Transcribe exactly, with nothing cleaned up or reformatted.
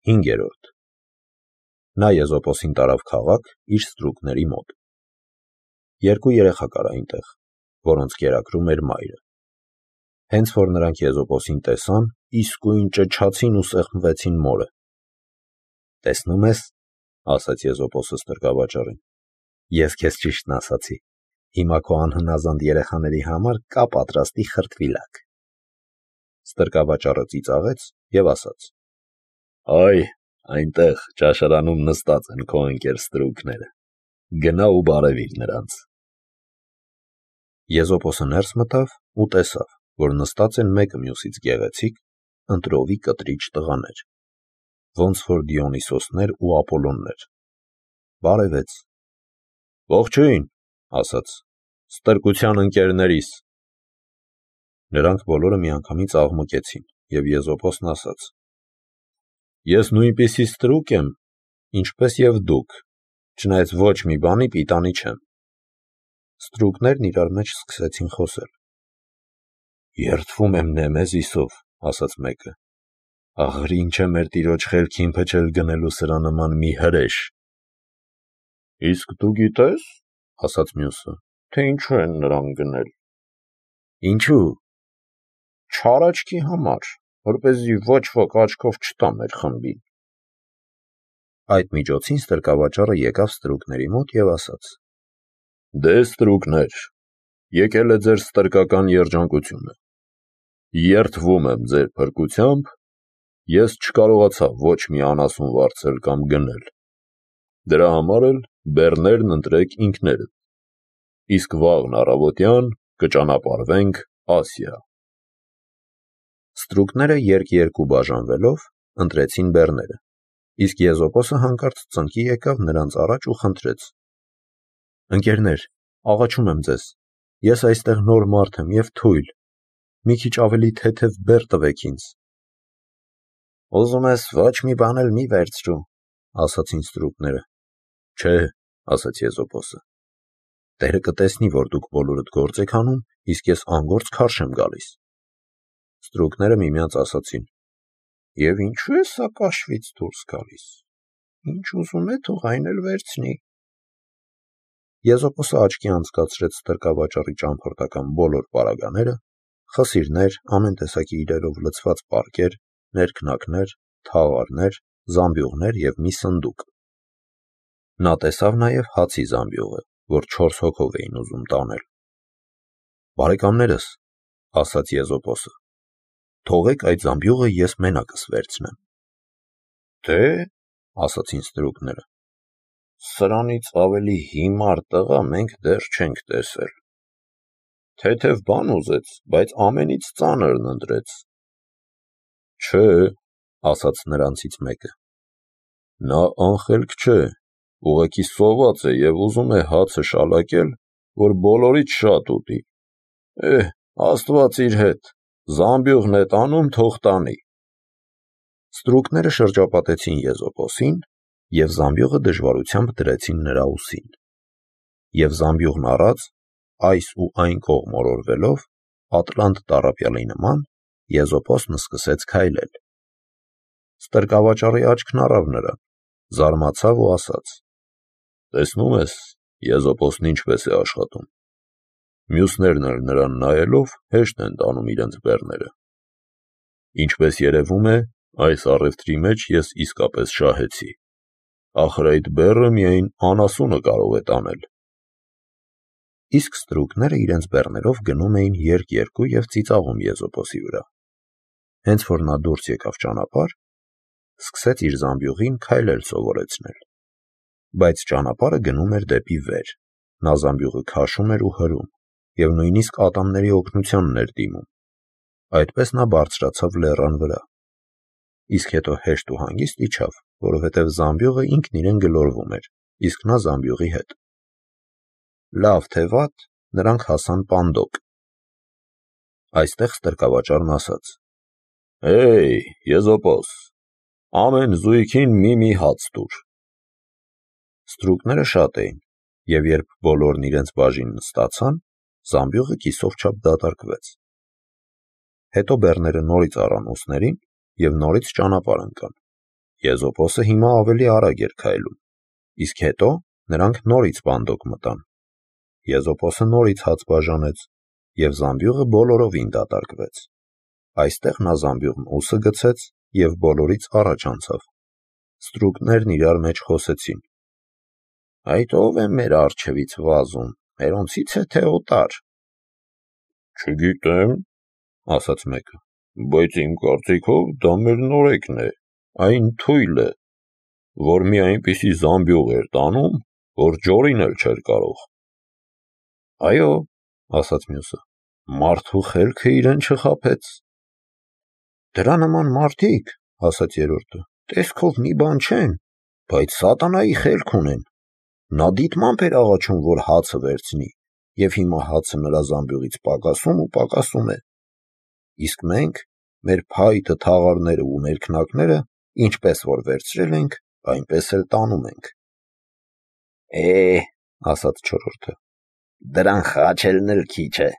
Հինգերորդ Նա Եզոպոսին տարավ քաղաք իր ստրուկների մոտ։ Երկու երեխա կար այնտեղ, որոնց կերակրում էր մայրը։ Հենց որ նրանք Եզոպոսին տեսան, իսկույն ճչացին ու սեղմվեցին մորը։ «Տեսնում ես,- ասաց Եզոպոսը ստրկավաճառին,- ես քեզ ճիշտն ասացի, հիմա քո անհնազանդ երեխաների համար կա պատրաստի խրտվիլակ»։ Ստրկավաճառը ծիծաղեց և ասաց. «Այ, այնտեղ ճաշարանում նստած են քո ընկեր ստրուկները, գնա ու բարևիր նրանց»։ Եզոպոսը ներս մտավ ու տեսավ, որ նստած են մեկը մյուսից գեղեցիկ, ընտրովի կտրիչ տղաներ, ոնց որ Դիոնիսոսներ ու Ապոլոններ։ Բարևեց. «Ողջույն,- ասաց,- ստրկության ընկերներիս»։ Նրանք բոլորը միանգամից աղմկեցին, և Եզոպոսն ասաց. «Ես նույնպիսի ստրուկ եմ, ինչպես և դուք, չնայած ոչ մի բանի պիտանի չեմ»։ Ստրուկներն իրար մեջ սկսեցին խոսել. «Երդվում եմ Նեմեզիսով,- ասաց մեկը,- աղր ինչ է մեր տիրոջ խելքին փչել գնելու սրա նման մի հրեշ»։ «Իսկ դու գիտե՞ս,- ասաց մյուսը,- թե ինչու են նրան գնել»։ «Ինչու»։ «Չար աչքի համար, որպեսզի ոչ ոք աչքով չտա մեր խմբին»։ Այդ միջոցին ստրկավաճառը եկավ ստրուկների մոտ և ասաց. «Դե, ստրուկներ, եկել է ձեր ստրկական երջանկությունը։ Երդվում եմ ձեր փրկությամբ, ես չկարողացա ոչ մի անասուն վարձել կամ գնել։ Դրա համար էլ բեռներն ընտրեք ինքներդ, իսկ վաղն առավոտյան կճանապարհվենք Ասիա»։ Ստրուկները երկ-երկու բաժանվելով ընտրեցին բեռները, իսկ Եզոպոսը հանկարծ ծնկի եկավ նրանց առաջ ու խնդրեց. «Ընկերներ, աղաչում եմ ձեզ, ես այստեղ նոր մարդ եմ և թույլ, մի քիչ ավելի թեթև բեռ տվեք ինձ»։ «Ուզում ես ոչ մի բան էլ մի վերցրու,- ասացին ստրուկները։ «Չէ,- ասաց Եզոպոսը,- Տերը կտեսնի, որ դուք բոլորդ գործ եք անում, իսկ ես անգործ քարշ եմ գալիս»։ Ստրուկները միմյանց ասացին. «Եվ ինչու է սա կաշվից դուրս գալիս, ինչ ուզում է, թող այն էլ վերցնի»։ Եզոպոսը աչքի անցկացրեց ստրկավաճառի ճամփորդական բոլոր պարագաները, խսիրներ, ամեն տեսակի իրերով լցված պարկեր, ներքնակներ, թաղարներ, զամբյուղներ և մի սնդուկ։ Նա տեսավ նաև հացի զամբյուղը, որ չորս հոգով էին ուզում տանել։ «Բարեկամներս,- ասաց Եզոպոսը,- թողեք այդ զամբյուղը ես մենակս վերցնեմ»։ «Թե,- ասացին ստրուկները,- սրանից ավելի հիմար տղա մենք դեռ չենք տեսել։ Թեթև բան ուզեց, բայց ամենից ծանրն ընտրեց»։ «Չէ,- ասաց նրանցից մեկը,- նա անխելք չէ, ուղղակի սոված է և ուզում է հացը շալակել, որ բոլորից շատ ուտի։ Էհ, Աստված իր հետ, զամբյուղն է տանում, թող տանի»։ Ստրուկները շրջապատեցին Եզոպոսին և զամբյուղը դժվարությամբ դրեցին նրա ուսին։ Եվ զամբյուղն առած, այս ու այն կողմ օրորվելով, ատլանտ տառապյալի նման, Եզոպոսն սկսեց քայլել։ Ստրկավաճառի աչքն առավ նրան, զարմացավ ու ասաց. «Տեսնում ես, Եզոպոսն ինչպես է աշխատում։ Մյուսներն էլ նրան նայելով հեշտ են տանում իրենց բեռները։ Ինչպես երևում է, այս առևտրի մեջ ես իսկապես շահեցի։ Ախր այդ բեռը միայն անասունը կարող է տանել»։ Իսկ ստրուկները իրենց բեռներով գնում էին երկ-երկու և ծիծաղում Եզոպոսի վրա։ Հենց որ նա դուրս եկավ ճանապարհ, սկսեց իր զամբյուղին քայլել սովորեցնել։ Բայց ճանապարհը գնում էր դեպի վեր, նա զամբյուղը քաշում էր ու հրում, և նույնիսկ ատամների օգնությանն էր դիմում։ Այդպես նա բարձրացավ լեռան վրա, իսկ հետո հեշտ ու հանգիստ իջավ, որովհետև զամբյուղը ինքն իրեն գլորվում էր, իսկ նա զամբյուղի հետ։ Լավ թե վատ, նրանք հասան Պանդոկ։ Այստեղ ստրկավաճառն ասաց. «Հեյ, Եզոպոս, ամեն զույգին մի-մի հաց տուր»։ Ստրուկները շատ էին, և երբ բոլորն իրենց բաժինն ստացան, զամբյուղը կիսով չափ դատարկվեց։ Հետո բեռները նորից առան ուսներին և նորից ճանապարհ ընկան, Եզոպոսը հիմա ավելի արագ էր քայլում, իսկ հետո նրանք նորից բանդոկ մտան։ Եզոպոսը նորից հաց բաժանեց, և զամբյուղը բոլորովին դատարկվեց։ Այստեղ նա զամբյուղն ուսը գցեց և բոլորից առաջ անցավ։ Ստրուկներն իրար մեջ խոսեցին. «Այդ ո՞վ է մեր առջևից վազում, մերոնցի՞ց է, թե օտար»։ «Չգիտեմ», ասաց մեկը, «բայց իմ կարծիքով դա մեր նորեկն է, այն թույլը, որ մի այնպիսի զամբյուղ էր տանում, որ ջորին էլ չէր կարող»։ «Այո», ասաց մյուսը, «մարդու խելքը իրեն չխաբեց»։ «Դրա նման մարդիկ, ասաց երրորդը, տեսքով մի բան չեն, բայց սատանայի խելք ունեն։ Նա դիտմամբ էր աղաչում, որ հացը վերցնի, և հիմա հացը նրա զամբյուղից պակասում ու պակասում է։ Իսկ մենք, մեր փայտը, թաղարները ու ներքնակները, ինչպես որ վերցրել ենք, այնպես էլ տանում ենք»։ «Է, ասաց չորրորդը, դրան խաչելն էլ քիչ է»։